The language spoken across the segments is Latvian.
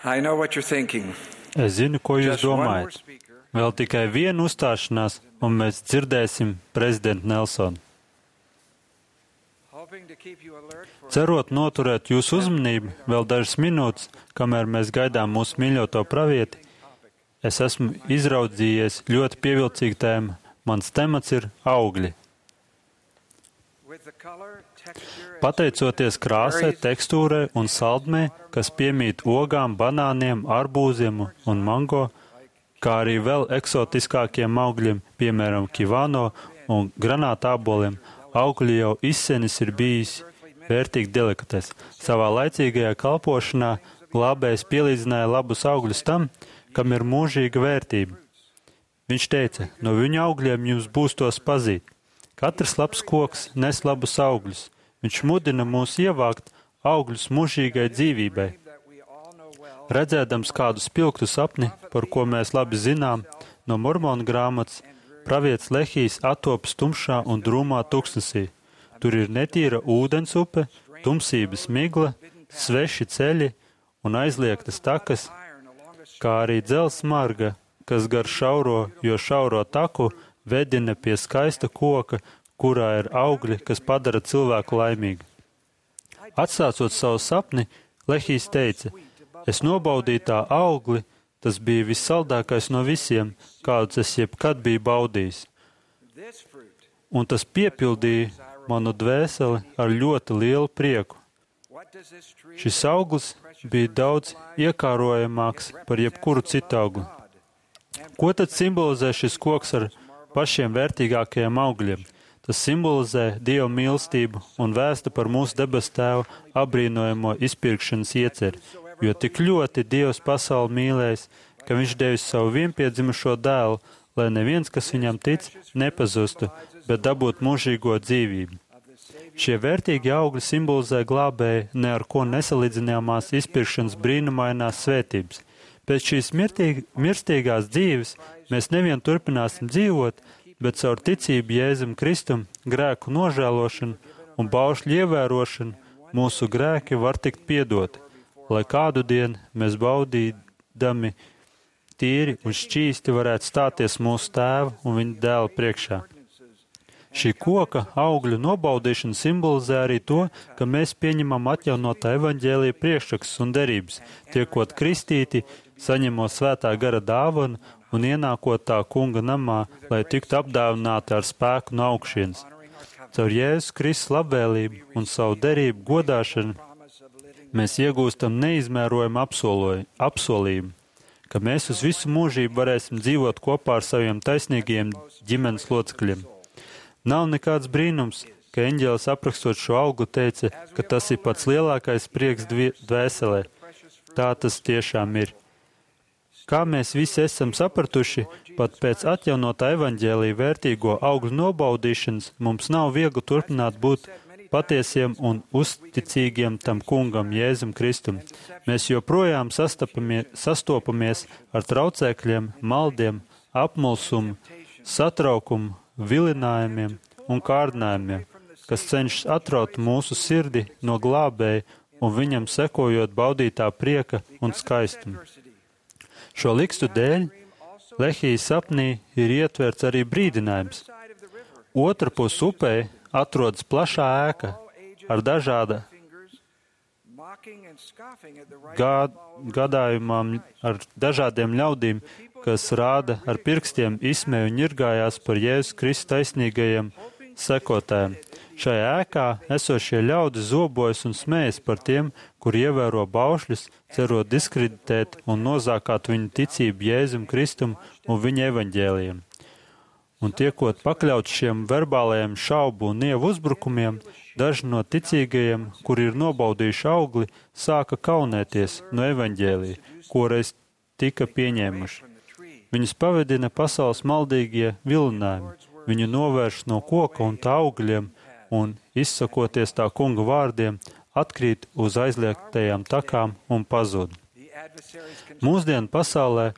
I know what you're thinking. Es zinu, ko jūs Just one more domājat. speaker. Vēl tikai viena uzstāšanās, un mēs dzirdēsim prezidentu Nelsonu. Hoping to keep you alert for Cerot noturēt jūsu uzmanību vēl dažas minūtes, kamēr mēs gaidām mūsu mīļoto pravieti, es esmu izraudzījies ļoti pievilcīgu tēmu. Mans temats ir augļi. with the color, texture, and Pateicoties krāsai, tekstūrai un saldmē, kas piemīt ogām, banāniem, arbūziem un mango, kā arī vēl eksotiskākiem augļiem, piemēram, kivāno un granātāboliem, augļi jau izsenis ir bijis vērtīgi delikates. Savā laicīgajā kalpošanā glābējs pielīdzināja labus augļus tam, kam ir mūžīga vērtība. Viņš teica, no viņa augļiem jums būs tos pazīt. Katrs labs koks nes labus augļus. Viņš mudina mūs ievākt augļus mūžīgai dzīvībai. that we all know well. Redzēdams kādu spilgtu sapni, par ko mēs labi zinām, no Mormona grāmatas, pravietis Lehijs attopas tumšā un drūmā tuksnesī. Tur ir netīra ūdens upe, tumsības migla, sveši ceļi un aizliegtas takas, Iron along a kā arī dzelzs marga, kas gar šauro taku vedina pie skaista koka, kurā ir augļi, kas padara cilvēku laimīgu. Atsācot savu sapni, Lehijs teica, es nobaudīju tā augli, tas bija vissaldākais no visiem, kādus es jebkad biju baudījis. this fruit. Un tas piepildīja manu dvēseli ar ļoti lielu prieku. What does this tree Šis auglis bija daudz iekārojamāks par jebkuru citu augli. Ko tad simbolizē šis koks ar pašiem vērtīgākajiem augļiem? Tas simbolizē Dieva mīlestību un vēsta par mūsu debesu Tēva apbrīnojamo izpirkšanas ieceri, jo tik ļoti Dievs pasauli mīlējis, ka Viņš devis savu vienpiedzimušo dēlu, lai neviens, kas viņam tic, nepazustu, bet dabūtu mūžīgo dzīvību. Šie vērtīgi augļi simbolizē glābēju ne ar ko nesalīdzināmās izpirkšanas brīnumainās svētības. Pēc šīs mirstīgās dzīves mēs nevien turpināsim dzīvot, bet caur ticību Jēzum Kristum, grēku nožēlošanu un baušļu ievērošanu mūsu grēki var tikt piedoti, lai kādu dienu mēs baudīdami tīri un šķīsti varētu stāties mūsu Tēva un Viņa dēla priekšā. Šī koka augļu nobaudīšana simbolizē arī to, ka mēs pieņemam atjaunotā evaņģēlija priekšrakstus un derības, tiekot kristīti, saņemot svētā gara dāvanu un ienākot tā kunga namā, lai tiktu apdāvināti ar spēku no augšienes. Caur Jēzus Kristus labvēlību un savu derību godāšanu mēs iegūstam neizmērojumu apsolījumu, ka mēs uz visu mūžību varēsim dzīvot kopā ar saviem taisnīgajiem ģimenes locekļiem. Nav nekāds brīnums, ka eņģēlis aprakstot šo auglu teica, ka tas ir pats lielākais prieks dvēselē. Tā tas tiešām ir. Kā mēs visi esam sapratuši, pat pēc atjaunotā evaņģēlija vērtīgo augļu nobaudīšanas mums nav viegli turpināt būt patiesiem un uzticīgiem tam kungam Jēzum Kristum. Mēs joprojām sastopamies ar traucēkļiem, maldiem, apmulsumu, satraukumu, vilinājumiem un kārdinājumiem, kas cenšas atraut mūsu sirdi no glābēja un viņam sekojot baudītā prieka un skaistuma. Šo likstu dēļ Lehijas sapnī ir ietverts arī brīdinājums. Otrpus upē atrodas plašā ēka ar gadājumām ar dažādiem ļaudīm, kas rāda ar pirkstiem izsmēju un ņirgājās par Jēzus Kristus taisnīgajiem sekotājiem. Šajā ēkā esošie ļaudi zobojas un smējas par tiem, kur ievēro baušļus, cerot diskreditēt un nozākāt viņu ticību Jēzum Kristum un viņa evaņģēlijam. Un tiekot pakļauts šiem verbālajiem šaubu un nievu uzbrukumiem, daži no ticīgajiem, kuri ir nobaudījuši augli, sāka kaunēties no evaņģēlija, ko reiz tika pieņēmuši. Viņus pavedina pasaules maldīgie vilinājumi, viņu novērš no koka un tā augļiem, un, izsakoties tā kunga vārdiem, atkrīt uz aizliegtajām takām un pazūd. Mūsdienu pasaulē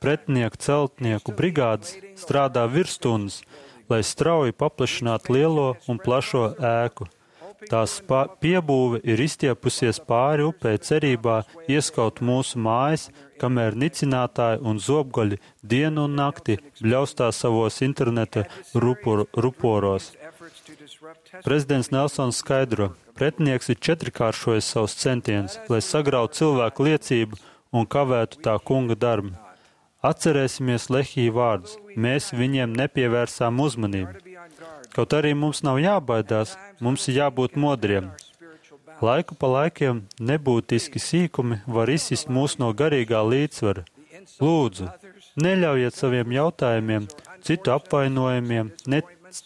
pretinieku celtnieku brigādes strādā virsstundas, lai strauji paplašinātu lielo un plašo ēku. Tās piebūve ir izstiepusies pāri upei cerībā ieskaut mūsu mājas, kamēr nicinātāji un zobgaļi dienu un nakti bļaustā savos interneta ruporos. Prezidents Nelsons skaidro, pretinieks ir četrkāršojis savus centienus, lai sagrautu cilvēku liecību un kavētu tā kunga darbu. Atcerēsimies Lehija vārdus. Mēs viņiem nepievērsām uzmanību. Kaut arī mums nav jābaidās, mums ir jābūt modriem. Laiku pa laikiem nebūtiski sīkumi var izsist mūs no garīgā līdzsvara. Lūdzu, neļaujiet saviem jautājumiem, citu apvainojumiem,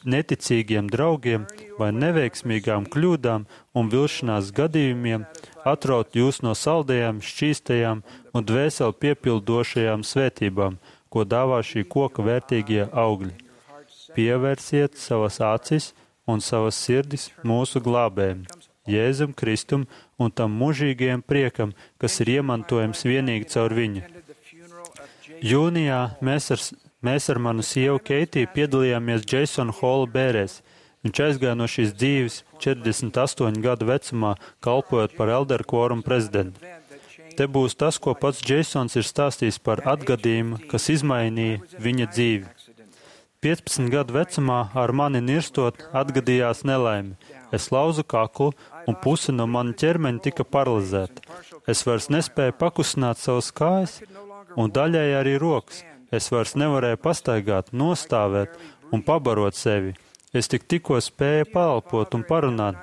neticīgiem draugiem vai neveiksmīgām kļūdām un vilšanās gadījumiem atraut jūs no saldajām, šķīstajām un dvēseli piepildošajām svētībām, ko dāvā šī koka vērtīgie augļi. Pievērsiet savas acis un savas sirdis mūsu glābējiem, Jēzum Kristum un tam mūžīgajam priekam, kas ir iemantojams vienīgi caur viņu. Jūnijā mēs ar manu sievu Keitiju piedalījāmies Jasona Hola bērēs. Viņš aizgāja no šīs dzīves 48 gadu vecumā, kalpojot par elderu kvorumu prezidentu. Te būs tas, ko pats Jasons ir stāstījis par atgadījumu, kas izmainīja viņa dzīvi. 15 gadu vecumā ar mani nirstot atgadījās nelaime. Es lauzu kaklu un puse no mana ķermeņa tika paralizēta. Es vairs nespēju pakustināt savas kājas un daļēji arī rokas. Es vairs nevarēju pastaigāt, nostāvēt un pabarot sevi. Es tikko spēju paelpot un parunāt.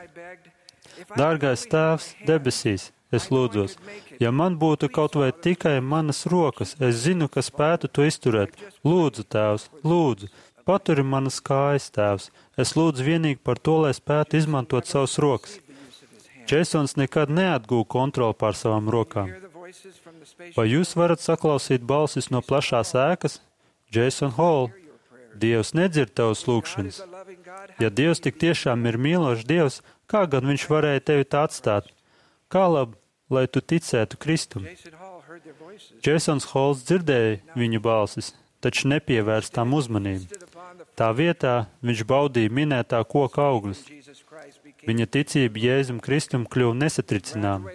Dārgais Tēvs debesīs, es lūdzos, ja man būtu kaut vai tikai manas rokas, es zinu, ka spētu to izturēt. Lūdzu, Tēvs, lūdzu, paturi manas kājas, Tēvs. Es lūdzu vienīgi par to, lai spētu izmantot savas rokas. Jasons nekad neatgūja kontroli pār savām rokām. Vai jūs varat saklausīt balsis no plašās ēkas? Jason Hall, Dievs nedzird tavas lūgšanas. Ja Dievs tik tiešām ir mīlošs Dievs, kā gan viņš varēja tevi tā atstāt? Kā labi, lai tu ticētu Kristum? Jasons Halls dzirdēja viņu balsis, taču nepievērst tām uzmanību. Tā vietā viņš baudīja minētā koka augļus. Viņa ticība Jēzum Kristum kļuva nesatricināma.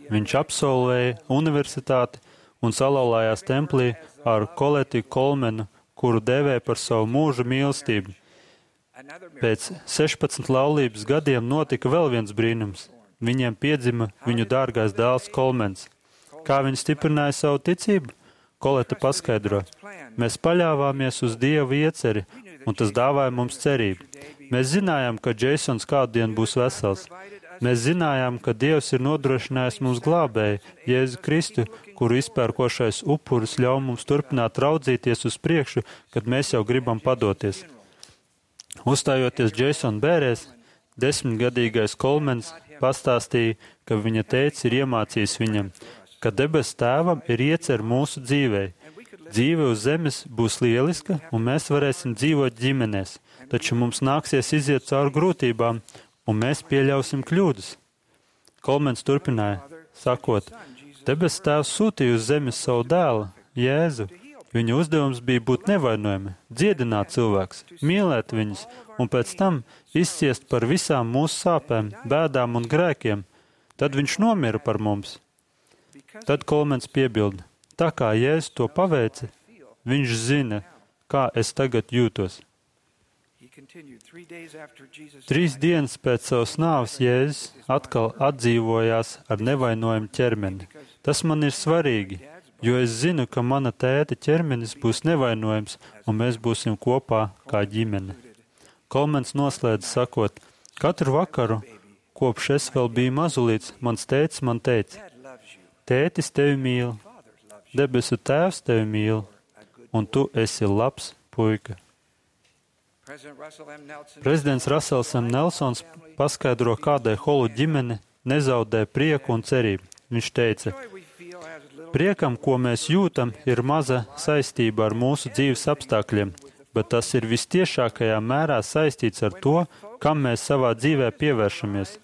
Viņš absolvēja universitāti un salauzījās templī ar Koleti Kolmenu, kuru dēvēja par savu mūža mīlestību. Pēc 16 laulības gadiem notika vēl viens brīnums. Viņiem piedzima viņu dārgais dēls Kolmens. Kā viņi stiprināja savu ticību? Koleta paskaidro. Mēs paļāvāmies uz Dieva ieceri, un tas dāvāja mums cerību. Mēs zinājām, ka Jasons kādu dienu būs vesels. Mēs zinājām, ka Dievs ir nodrošinājis mums glābēju, Jēzu Kristu, kuru izpērkošais upuris ļauj mums turpināt raudzīties uz priekšu, kad mēs jau gribam padoties. Uzstājoties Jasona bērēs, 10-gadīgais Kolmens pastāstīja, ka viņa tēvs ir iemācījis viņam, ka debesu Tēvam ir iecer mūsu dzīvei. Dzīve uz zemes būs lieliska, un mēs varēsim dzīvot ģimenēs, taču mums nāksies iziet cauri grūtībām, un mēs pieļausim kļūdas. Kolmens turpināja, sakot, debesu Tēvs sūtīja uz zemes savu dēlu, Jēzu. Viņa uzdevums bija būt nevainojami, dziedināt cilvēks, mīlēt viņus, un pēc tam izciest par visām mūsu sāpēm, bēdām un grēkiem. Tad viņš nomira par mums. Tad Kolmens piebilda, tā kā Jēzus to paveica, viņš zina, kā es tagad jūtos. 3 dienas pēc savas nāves Jēzus atkal atdzīvojās ar nevainojumu ķermeni. Tas man ir svarīgi, jo es zinu, ka mana tēta ķermenis būs nevainojams, un mēs būsim kopā kā ģimene. Kolmens noslēdz sakot, katru vakaru, kopš es vēl biju mazulīts, mans tētis man teica, tētis tevi mīl, debesu Tēvs tevi mīl, un tu esi labs puika. Prezidents Rasels M. Nelsons paskaidro, kādai Holu ģimene nezaudē prieku un cerību. Viņš teica, priekam, ko mēs jūtam, ir maza saistība ar mūsu dzīves apstākļiem, bet tas ir vistiešākajā mērā saistīts ar to, kam mēs savā dzīvē pievēršamies.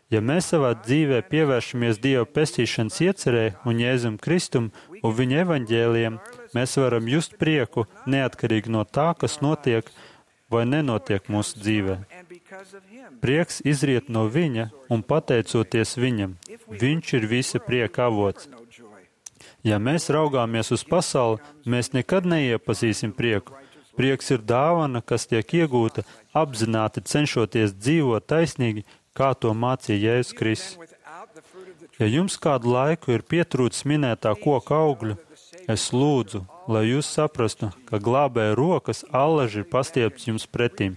Ja mēs savā dzīvē pievēršamies Dieva pestīšanas iecerē un Jēzum Kristum un viņa evaņģēlijiem, mēs varam just prieku neatkarīgi no tā, kas notiek vai nenotiek mūsu dzīvē. Prieks izriet no viņa, un pateicoties viņam, viņš ir visa prieka avots. Ja mēs raugāmies uz pasauli, mēs nekad neiepazīsim prieku. Prieks ir dāvana, kas tiek iegūta apzināti cenšoties dzīvot taisnīgi, kā to mācīja Jēzus Kristus. Ja jums kādu laiku ir pietrūcis minētā koka augļu, es lūdzu, lai jūs saprastu, ka glābēja rokas allaži ir pastiepts jums pretīm.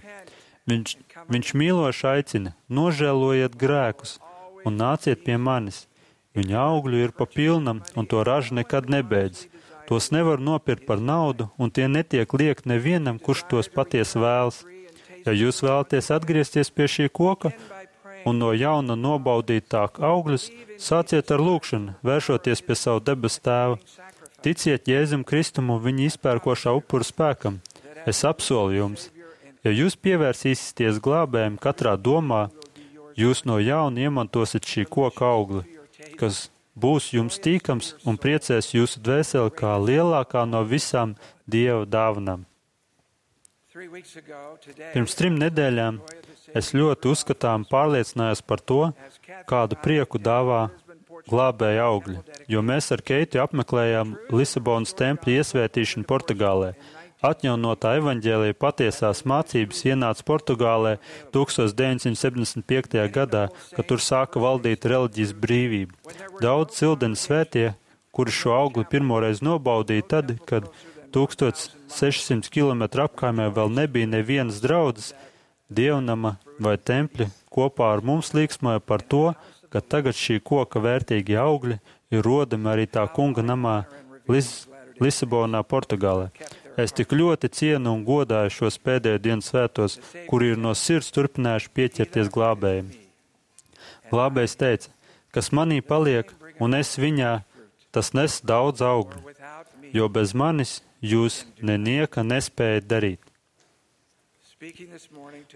Viņš mīloši aicina, nožēlojiet grēkus un nāciet pie manis. Viņa augļu ir pa pilnam, un to raža nekad nebeidz. Tos nevar nopirkt par naudu, un tie netiek liekt nevienam, kurš tos patiesi vēlas. Ja jūs vēlaties atgriezties pie šī koka un no jauna nobaudīt tā augļus, sāciet ar lūgšanu, vēršoties pie savu debesu tēva. Ticiet Jēzum Kristum un viņa izpērkošā upura spēkam. Es apsolu jums, ja jūs pievērsīsieties glābējiem katrā domā, jūs no jauna iemantosiet šī koka augli, kas būs jums tīkams un priecēs jūsu dvēseli kā lielākā no visām Dieva dāvanām. Pirms 3 nedēļām es ļoti uzskatām pārliecinājos par to, kādu prieku dāvā glābēja augļi, jo mēs ar Keitu apmeklējām Lisabonas tempļa iesvētīšanu Portugālē. Atjaunotā evaņģēlija patiesās mācības ienāca Portugālē 1975. gadā, kad tur sāka valdīt reliģijas brīvība. Daudz cildeni svētie, kuri šo augli pirmoreiz nobaudīja tad, kad 1600 km apkaimē vēl nebija nevienas draudzes, dievnama vai tempļa, kopā ar mums līksmoja par to, ka tagad šī koka vērtīgie augļi ir rodami arī tā kunga namā Lisabonā, Portugālē. Es tik ļoti cienu un godāju šos pēdējo dienu svētos, kuri ir no sirds turpinājuši pieķerties glābējiem. Glābējs teica, kas manī paliek, un es viņā, tas nes daudz augļu, jo bez manis jūs nenieka nespējat darīt.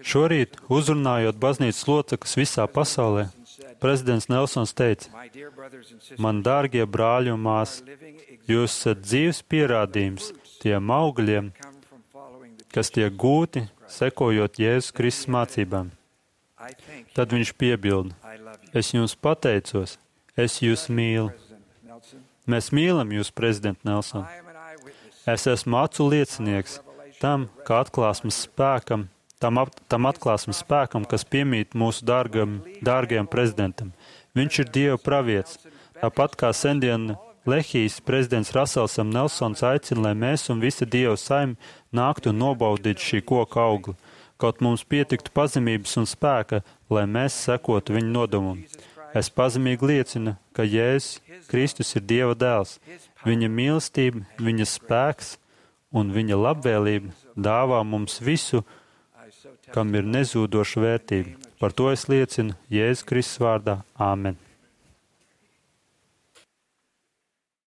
Šorīt, uzrunājot baznīcas locekļus visā pasaulē, prezidents Nelsons teica, man dārgie brāļi un māsas, jūs esat dzīves pierādījums tiem augļiem, kas tiek gūti, sekojot Jēzus Kristus mācībām. Tad viņš piebilda, es jums pateicos, es jūs mīlu. Mēs mīlam jūs, prezident Nelson. Es esmu acu liecinieks tam, ka tam atklāsmes spēkam, kas piemīt mūsu dārgajam prezidentam. Viņš ir Dieva pravietis, tāpat kā sendien Lehijas prezidents Raselsam Nelsons aicina, lai mēs un visa Dieva saime nāktu un nobaudītu šī koka augli, kaut mums pietiktu pazemības un spēka, lai mēs sekotu viņa nodomam. Es pazemīgi liecinu, ka Jēzus Kristus ir Dieva dēls, viņa mīlestība, viņa spēks un viņa labvēlība dāvā mums visu, kam ir nezūdoša vērtība. Par to es liecinu Jēzus Kristus vārdā. Āmen.